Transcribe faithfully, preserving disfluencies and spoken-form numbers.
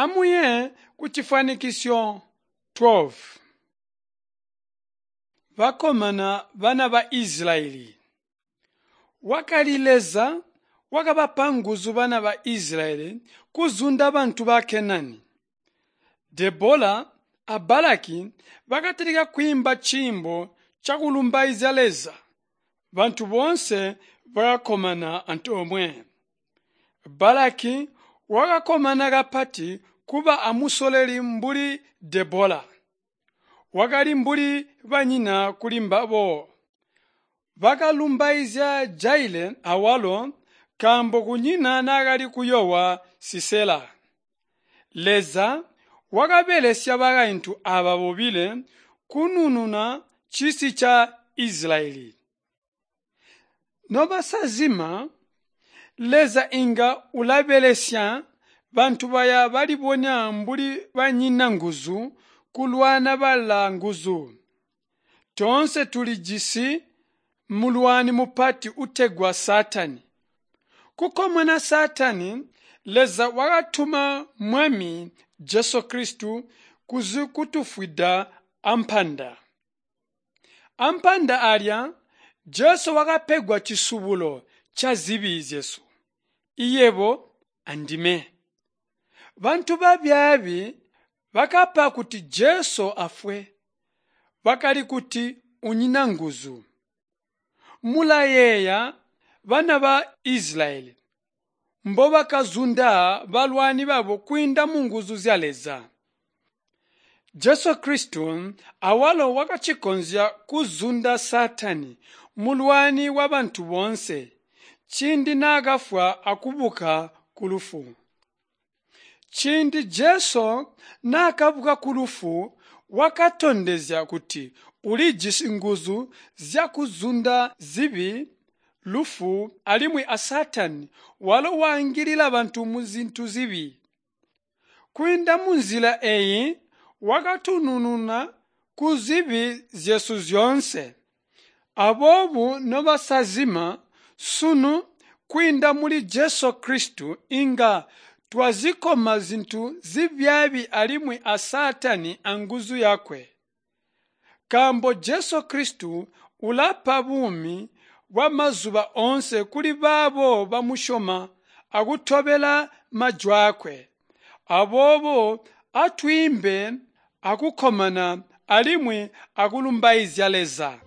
Amuye kucifwanikisyo twelve. Bakkomana bana ba Isilayeli. Wakali Leza wakabapa nguzu bana ba Isilayeli kuzunda bantu ba Kenani. Debola a Balaki bakatalika kwiimba ciimbo cakulumbaizya Leza. Bantu boonse bakakkomana antoomwe. Balaki wakakkomana kapati kuba amusololi mbuli Debola. Wakali mbuli banyina kuli mbabo. Bakalumbaizya Jaeli awalo nkaambo kunyina naakali kuyoowa Sisela. Leza wakabelesya bakaintu aaba bobile kunununa cisi ca Isilayeli. Nobasazima, Leza inga ulabelesya bantu baya balibonya mbuli banyina nguzu kulwana balaa nguzu. Toonse tulijisi mulwani mupati utegwa Saatani. Kukomona Saatani, Leza wakatuma Mwami Jesu Kristu kuzikutufwida ampanda. Ampanda alya, Jesu wakapegwa cisubulo cazibi zyesu, iyebo andime. Bantu babyaabi bakapa kuti Jesu afwe. Bakali kuti unyina nguzu. Mulayeeya bana ba Isilayeli mbobakazunda balwani babo kwiinda munguzu zya Leza. Jesu Kristu awalo wakacikonzya kuzunda Saatani, mulwani wabantu boonse, ciindi naakafwa akubuka kulufu. Ciindi Jesu naakabuka kulufu, wakatondezya kuti ulijisi nguzu zyakuzunda zibi, lufu alimwi a Saatani walo waangilila bantu muzintu zibi. Kwiinda munzila eeyi wakatunununa kuzibi zyesu zyoonse. Aboobo nobasazima, sunu kwiinda muli Jesu Kristu inga twazikoma zintu zibyaabi alimwi a Saatani anguzu yakwe. Nkaambo Jesu Kristu ulapa buumi bwamazuba oonse kuli baabo bamusyoma akutobela majwaakwe. Aboobo atwiimbe akukkomana alimwi akulumbaizya Leza.